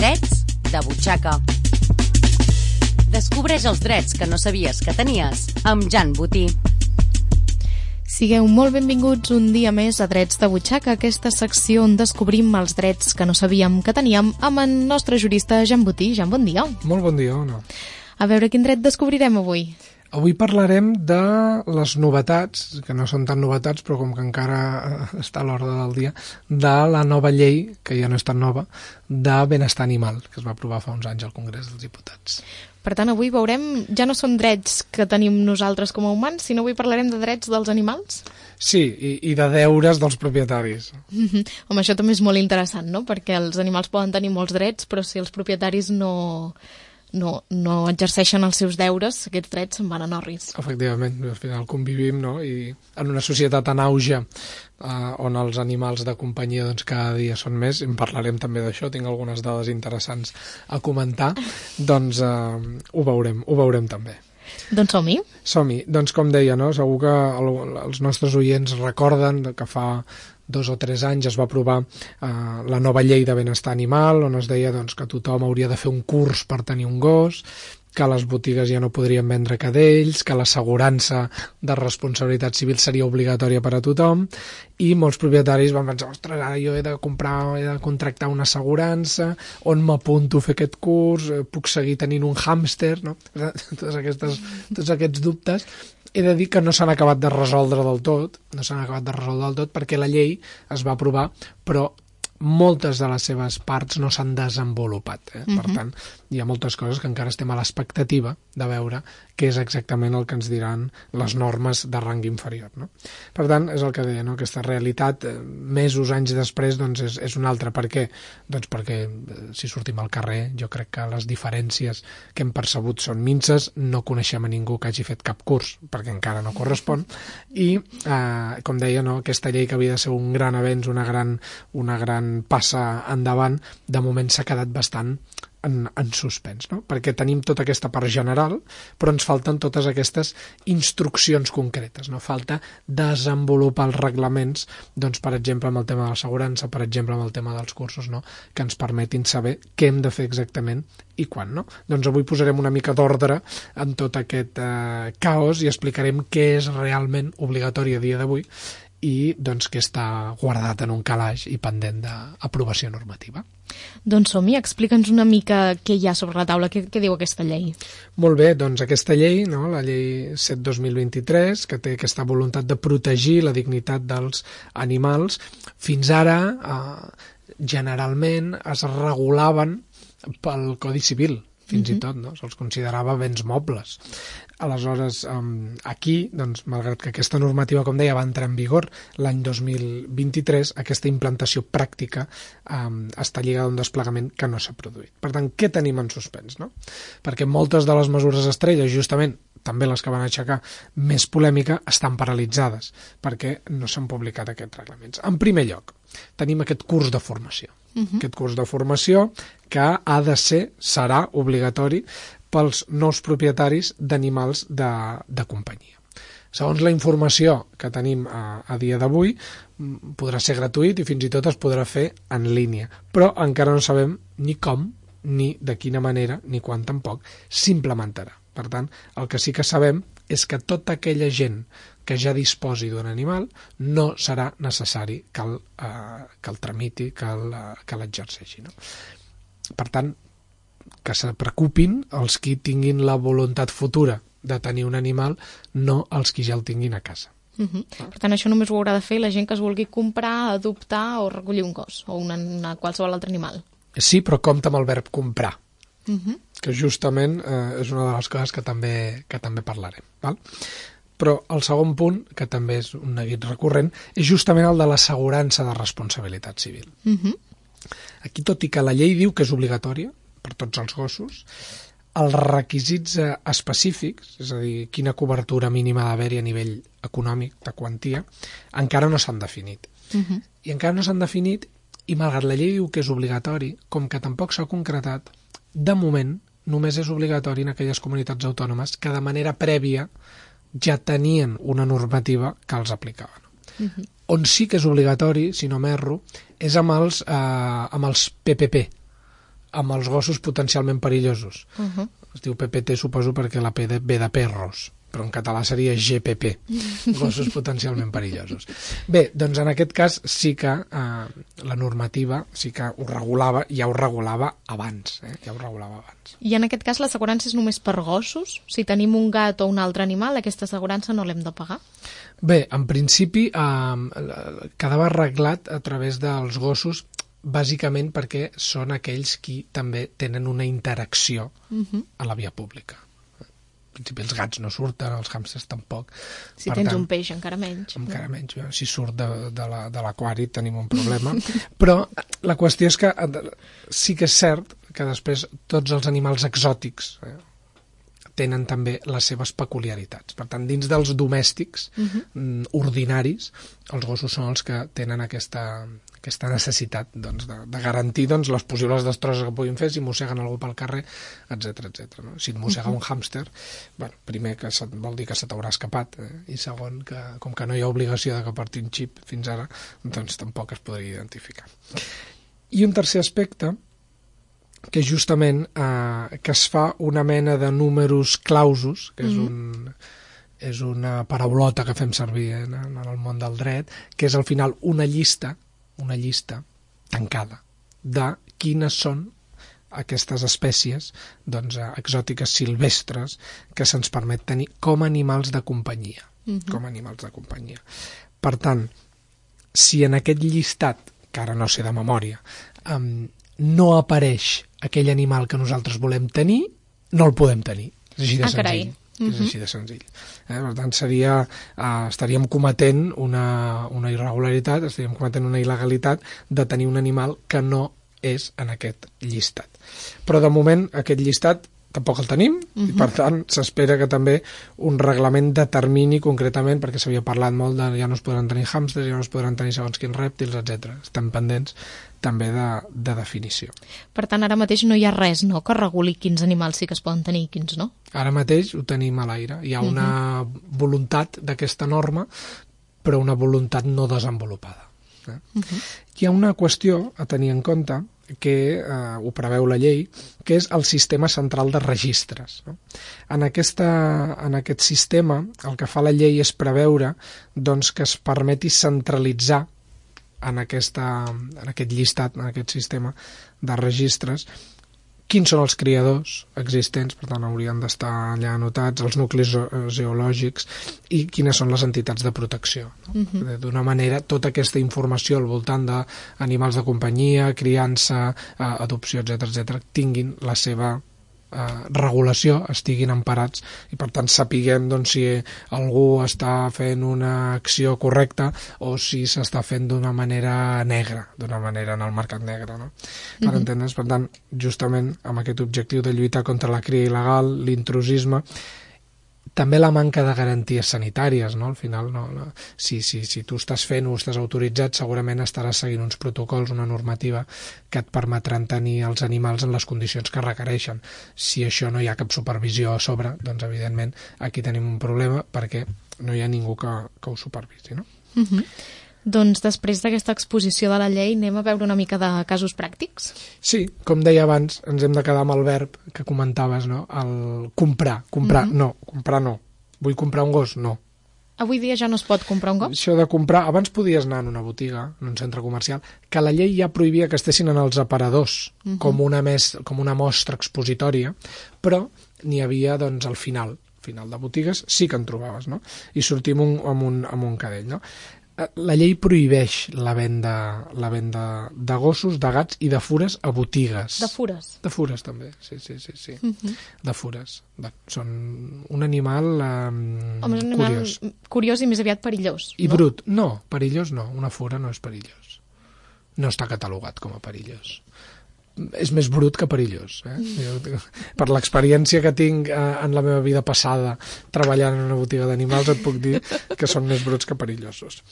Drets de butxaca. Descobreix els drets que no sabies que tenies amb Jan Botí. Sigueu molt benvinguts un dia més a Drets de butxaca, aquesta secció on descobrim els drets que no sabíem que teníem amb el nostre jurista Jan Botí. Jan, bon dia. Molt bon dia, Ona. A veure quin dret descobrirem avui. Avui parlarem de les novetats, que no són tan novetats, però com que encara està a l'ordre del dia, de la nova llei, que ja no és tan nova, de benestar animal, que es va aprovar fa uns anys al Congrés dels Diputats. Per tant, avui veurem, ja no són drets que tenim nosaltres com a humans, sinó avui parlarem de drets dels animals? Sí, i de deures dels propietaris. Home, això també és molt interessant, no? Perquè els animals poden tenir molts drets, però si els propietaris no exerceixen els seus deures, aquests drets se'n van a norris. Efectivament, al final convivim, no? I en una societat en auge on els animals de companyia doncs, cada dia són més, en parlarem també d'això, tinc algunes dades interessants a comentar, doncs ho veurem també. Doncs som-hi. Som-hi. Doncs com deia, no? Segur que els nostres oients recorden que fa 2 o 3 anys es va aprovar la nova llei de benestar animal, on es deia doncs, que tothom hauria de fer un curs per tenir un gos, que les botigues ja no podrien vendre cadells, que l'assegurança de responsabilitat civil seria obligatòria per a tothom, i molts propietaris van pensar, ostres, ara jo he de contractar una assegurança, on m'apunto a fer aquest curs, puc seguir tenint un hàmster, no? Tots aquests dubtes. He de dir que no s'han acabat de resoldre del tot, perquè la llei es va aprovar, però moltes de les seves parts no s'han desenvolupat. Per tant, hi ha moltes coses que encara estem a l'expectativa de veure què és exactament el que ens diran les normes de rang inferior. No? Per tant, és el que deia, no? Aquesta realitat, mesos, anys després, doncs és una altra. Per què? Doncs perquè si sortim al carrer, jo crec que les diferències que hem percebut són minces, no coneixem a ningú que hagi fet cap curs, perquè encara no correspon, i, com deia, no? Aquesta llei que havia de ser un gran avenç, una gran passa endavant, de moment s'ha quedat bastant en suspens, no? Perquè tenim tota aquesta part general, però ens falten totes aquestes instruccions concretes, no? Falta desenvolupar els reglaments, doncs, per exemple, amb el tema de l'assegurança, per exemple, amb el tema dels cursos, no? Que ens permetin saber què hem de fer exactament i quan, no? Doncs avui posarem una mica d'ordre en tot aquest caos i explicarem què és realment obligatori a dia d'avui i doncs, que està guardat en un calaix i pendent d'aprovació normativa. Doncs som-hi, explica'ns una mica què hi ha sobre la taula, què diu aquesta llei. Molt bé, doncs aquesta llei, no, la llei 7/2023, que té aquesta voluntat de protegir la dignitat dels animals, fins ara generalment es regulaven pel Codi Civil, fins i tot, no? Se'ls considerava béns mobles. Aleshores, aquí, doncs, malgrat que aquesta normativa, com deia, va entrar en vigor l'any 2023, aquesta implantació pràctica està lligada a un desplegament que no s'ha produït. Per tant, què tenim en suspens, no? Perquè moltes de les mesures estrelles, justament, també les que van aixecar més polèmica, estan paralitzades, perquè no s'han publicat aquests reglaments. En primer lloc, tenim aquest curs de formació. Aquest curs de formació que serà obligatori pels nous propietaris d'animals de companyia. Segons la informació que tenim a dia d'avui, podrà ser gratuït i fins i tot es podrà fer en línia, però encara no sabem ni com, ni de quina manera, ni quan tampoc s'implementarà. Per tant, el que sí que sabem és que tota aquella gent que ja disposi d'un animal no serà necessari que el tramiti, que l'exerceixi. No? Per tant, que se preocupin els qui tinguin la voluntat futura de tenir un animal, no els qui ja el tinguin a casa. Per tant, això només ho haurà de fer la gent que es vulgui comprar, adoptar o recollir un gos o qualsevol altre animal. Sí, però compta amb el verb comprar, que justament és una de les coses que també parlarem. Val? Però el segon punt, que també és un neguit recurrent, és justament el de l'assegurança de responsabilitat civil. Aquí, tot i que la llei diu que és obligatòria per tots els gossos, els requisits específics, és a dir, quina cobertura mínima d'haver-hi a nivell econòmic, de quantia, encara no s'han definit. I encara no s'han definit, i malgrat la llei diu que és obligatori, com que tampoc s'ha concretat, de moment només és obligatori en aquelles comunitats autònomes que de manera prèvia ja tenien una normativa que els aplicava. On sí que és obligatori, si no m'erro, és amb els PPP, amb els gossos potencialment perillosos. Es diu PPT, suposo, perquè la P ve de perros, però en català seria GPP, gossos potencialment perillosos. Bé, doncs en aquest cas sí que la normativa sí que ho regulava, ja ho regulava abans. I en aquest cas l'assegurança és només per gossos? Si tenim un gat o un altre animal, aquesta assegurança no l'hem de pagar? Bé, en principi quedava arreglat a través dels gossos, bàsicament perquè són aquells qui també tenen una interacció a la via pública. En principi els gats no surten, els hàmsters tampoc. Si tens un peix, encara menys. Encara menys. Si surt de l'aquari tenim un problema. Però la qüestió és que sí que és cert que després tots els animals exòtics tenen també les seves peculiaritats. Per tant, dins dels domèstics ordinaris, els gossos són els que tenen aquesta necessitat de garantir les possibles destrosses que puguin fer si mosseguen algú pel carrer, etc. No? Si et mossega un hàmster, primer que vol dir que se t'haurà escapat, i segon, que com que no hi ha obligació de que porti un xip fins ara, doncs tampoc es podria identificar. I un tercer aspecte, que és justament que es fa una mena de números clausus, que és una paraulota que fem servir en el món del dret, que és al final una llista tancada de quines són aquestes espècies exòtiques silvestres que se'ns permet tenir com a animals de companyia. Per tant, si en aquest llistat, que ara no sé de memòria, no apareix aquell animal que nosaltres volem tenir, no el podem tenir. És així de senzill. És així de senzill. Per tant, estaríem cometent una irregularitat, estaríem cometent una il·legalitat de tenir un animal que no és en aquest llistat. Però de moment aquest llistat tampoc el tenim, i per tant s'espera que també un reglament determini concretament, perquè s'havia parlat molt de ja no es podran tenir hàmsters, ja no es podran tenir segons quins rèptils, etc. Estem pendents també de definició. Per tant, ara mateix no hi ha res, no?, que reguli quins animals sí que es poden tenir i quins no? Ara mateix ho tenim a l'aire. Hi ha una voluntat d'aquesta norma, però una voluntat no desenvolupada. Hi ha una qüestió a tenir en compte, que ho preveu la llei, que és el sistema central de registres. En aquest sistema, el que fa la llei és preveure que es permeti centralitzar en aquest llistat, en aquest sistema de registres, quins són els criadors existents, per tant haurien d'estar allà anotats, els nuclis geològics i quines són les entitats de protecció. D'una manera, tota aquesta informació al voltant d'animals de companyia, criança, adopció, etc., tinguin la seva regulació, estiguin emparats i per tant sapiguem si algú està fent una acció correcta o si s'està fent d'una manera negra, d'una manera en el mercat negre, no? Per entendre's, per tant, justament amb aquest objectiu de lluitar contra la cria il·legal, l'intrusisme, també la manca de garanties sanitàries, no? Al final, si tu estàs fent o estàs autoritzat, segurament estaràs seguint uns protocols, una normativa que et permetran tenir els animals en les condicions que requereixen. Si això no hi ha cap supervisió a sobre, doncs evidentment aquí tenim un problema perquè no hi ha ningú que ho supervisi, no? Doncs després d'aquesta exposició de la llei anem a veure una mica de casos pràctics? Sí, com deia abans, ens hem de quedar amb el verb que comentaves, no? El comprar, no, vull comprar un gos, no. Avui dia ja no es pot comprar un gos? Això de comprar, abans podies anar en una botiga, en un centre comercial, que la llei ja prohibia que estessin en els aparadors com una mostra expositòria, però n'hi havia al final de botigues sí que en trobaves, no? I sortim amb un cadell, no? La llei prohibeix la venda de gossos, de gats i de fures a botigues. De fures? De fures, també, sí. De fures. Són un animal curiós. Curiós i més aviat perillós. I brut. No, perillós no. Una fura no és perillós. No està catalogat com a perillós. És més brut que perillós. Per l'experiència que tinc en la meva vida passada treballant en una botiga d'animals et puc dir que són més bruts que perillosos.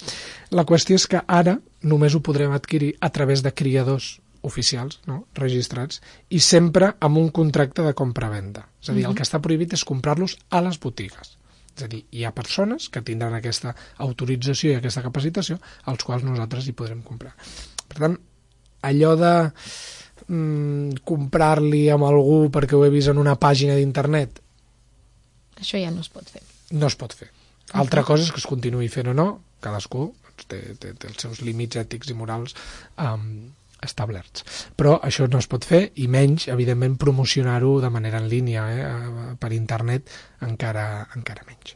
La qüestió és que ara només ho podrem adquirir a través de criadors oficials, no? Registrats, i sempre amb un contracte de compra-venda. És a dir, el que està prohibit és comprar-los a les botigues. És a dir, hi ha persones que tindran aquesta autorització i aquesta capacitació als quals nosaltres hi podrem comprar. Per tant, allò de comprar-li amb algú perquè ho he vist en una pàgina d'internet? Això ja no es pot fer. No es pot fer. Altra cosa és que es continuï fent o no, cadascú té els seus límits ètics i morals establerts. Però això no es pot fer, i menys, evidentment, promocionar-ho de manera en línia, per internet, encara menys.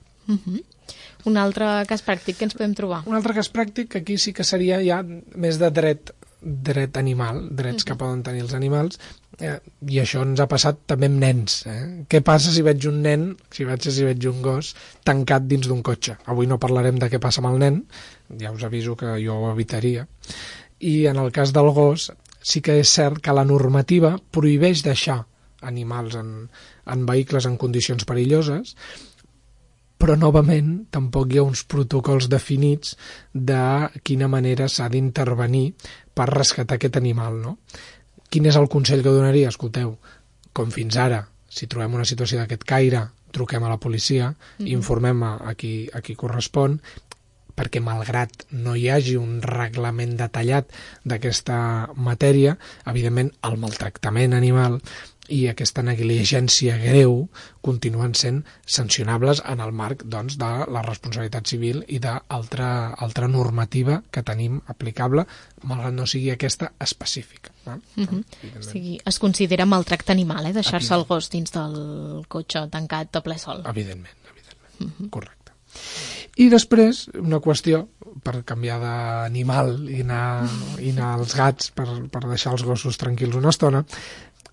Un altre cas pràctic que ens podem trobar? Un altre cas pràctic, que aquí sí que seria ja més de dret animal, drets que poden tenir els animals, i això ens ha passat també amb nens. Què passa si veig un nen, si veig un gos tancat dins d'un cotxe? Avui no parlarem de què passa amb el nen, ja us aviso que jo ho evitaria. I en el cas del gos sí que és cert que la normativa prohibeix deixar animals en vehicles en condicions perilloses, però novament tampoc hi ha uns protocols definits de quina manera s'ha d'intervenir per rescatar aquest animal, no? Quin és el consell que donaria? Escolteu, com fins ara, si trobem una situació d'aquest caire, truquem a la policia, informem a qui correspon, perquè malgrat no hi hagi un reglament detallat d'aquesta matèria, evidentment el maltractament animal i aquesta negligència greu continuen sent sancionables en el marc, doncs, de la responsabilitat civil i d'altra normativa que tenim aplicable, malgrat no sigui aquesta específica. O sigui, es considera maltracte animal, deixar-se el gos dins del cotxe tancat a ple sol. Evidentment. Correcte. I després, una qüestió, per canviar d'animal i anar als gats, per deixar els gossos tranquils una estona,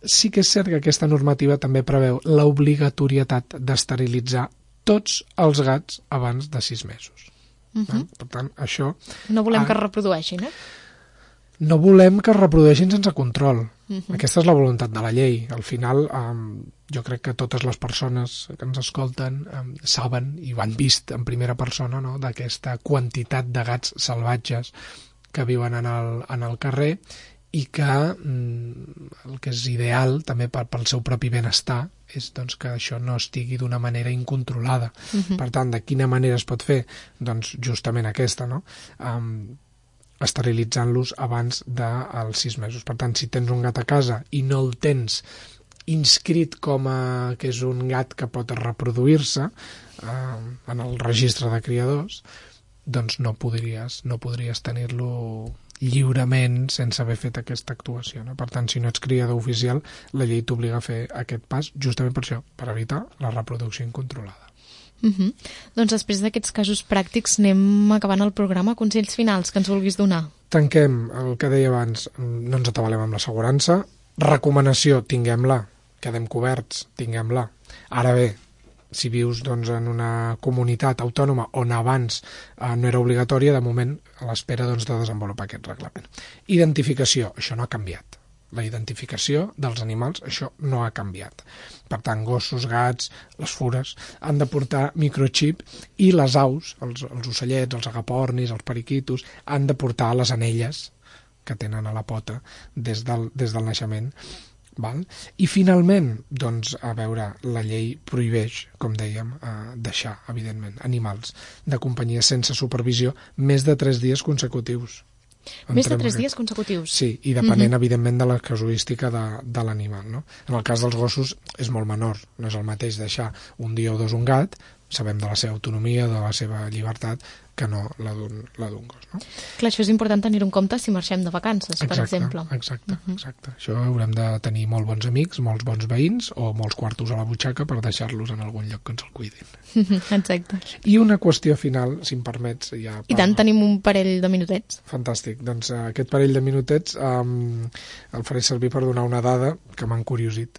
sí que és cert que aquesta normativa també preveu l'obligatorietat d'esterilitzar tots els gats abans de 6 mesos. Per tant, això... No volem que es reprodueixin, No volem que es reprodueixin sense control. Aquesta és la voluntat de la llei. Al final, jo crec que totes les persones que ens escolten saben i ho han vist en primera persona, no?, d'aquesta quantitat de gats salvatges que viuen en el carrer, i que el que és ideal també pel seu propi benestar és, doncs, que això no estigui d'una manera incontrolada. Per tant, de quina manera es pot fer? Doncs justament aquesta, no? Esterilitzant-los abans dels 6 mesos. Per tant, si tens un gat a casa i no el tens inscrit com que és un gat que pot reproduir-se en el registre de criadors, doncs no podries tenir-lo lliurement sense haver fet aquesta actuació, no? Per tant, si no ets criador oficial, la llei t'obliga a fer aquest pas justament per això, per evitar la reproducció incontrolada. Doncs després d'aquests casos pràctics anem acabant el programa. Consells finals que ens vulguis donar. Tanquem el que deia abans, no ens atabalem amb l'assegurança. Recomanació, tinguem-la. Quedem coberts, tinguem-la. Ara bé, si vius, doncs, en una comunitat autònoma on abans no era obligatòria, de moment a l'espera, doncs, de desenvolupar aquest reglament. Identificació, això no ha canviat. La identificació dels animals, això no ha canviat. Per tant, gossos, gats, les fures, han de portar microxip, i les aus, els ocellets, els agapornis, els periquitos, han de portar les anelles que tenen a la pota des del naixement. Val? I finalment, doncs, a veure, la llei prohibeix, com dèiem, deixar, evidentment, animals de companyia sense supervisió més de 3 dies consecutius. Més de 3 dies consecutius? Sí, i depenent, evidentment, de la casuística de l'animal, no? En el cas dels gossos és molt menor, no és el mateix deixar un dia o 2 un gat, sabem de la seva autonomia, de la seva llibertat, que no la d'un gos, no? Clar, això és important tenir-ho en compte si marxem de vacances, per exemple. Exacte. Això haurem de tenir molt bons amics, molts bons veïns o molts quartos a la butxaca per deixar-los en algun lloc que ens el cuidin. Exacte. I una qüestió final, si em permets. I tant, tenim un parell de minutets. Fantàstic. Doncs aquest parell de minutets el faré servir per donar una dada que m'ha encuriosit,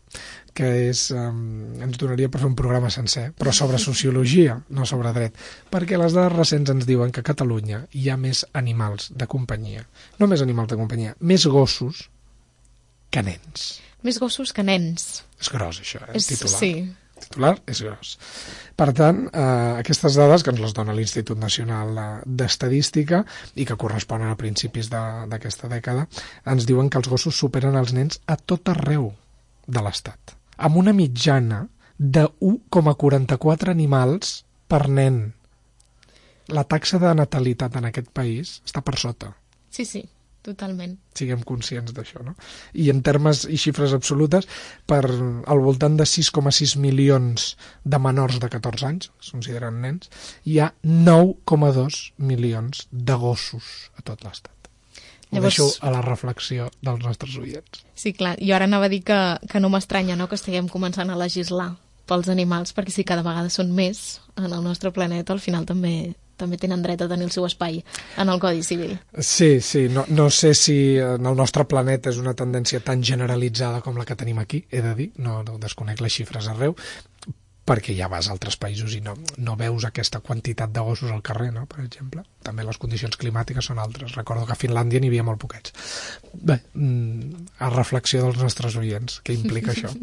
que és, ens donaria per fer un programa sencer, però sobre sociologia, no sobre dret, perquè les dades recents ens diuen que a Catalunya hi ha més animals de companyia, no més animals de companyia, més gossos que nens. Més gossos que nens. És gros, això, titular. Sí. Titular és gros. Per tant, aquestes dades que ens les dona l'Institut Nacional d'Estadística i que corresponen a principis d'aquesta dècada, ens diuen que els gossos superen els nens a tot arreu de l'Estat, amb una mitjana de 1,44 animals per nen. La taxa de natalitat en aquest país està per sota. Sí. Totalment. Siguem conscients d'això, no? I en termes i xifres absolutes, per al voltant de 6,6 milions de menors de 14 anys, es consideren nens, hi ha 9,2 milions de gossos a tot l'Estat. Ho deixo a la reflexió dels nostres oients. Sí, clar, jo ara anava a dir que no m'estranya, no?, que estiguem començant a legislar pels animals, perquè si cada vegada són més en el nostre planeta, al final també tenen dret a tenir el seu espai en el Codi Civil. Sí, no sé si en el nostre planeta és una tendència tan generalitzada com la que tenim aquí, he de dir, no desconec les xifres arreu, perquè ja vas a altres països i no veus aquesta quantitat de gossos al carrer, no?, per exemple. També les condicions climàtiques són altres. Recordo que a Finlàndia n'hi havia molt poquets. Bé, a reflexió dels nostres oients, què implica això?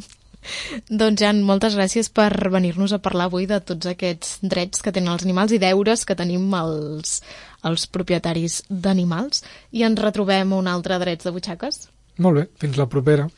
Doncs, Jan, moltes gràcies per venir-nos a parlar avui de tots aquests drets que tenen els animals i deures que tenim els propietaris d'animals. I ens retrobem un altre Drets de Butxaques. Molt bé, fins la propera.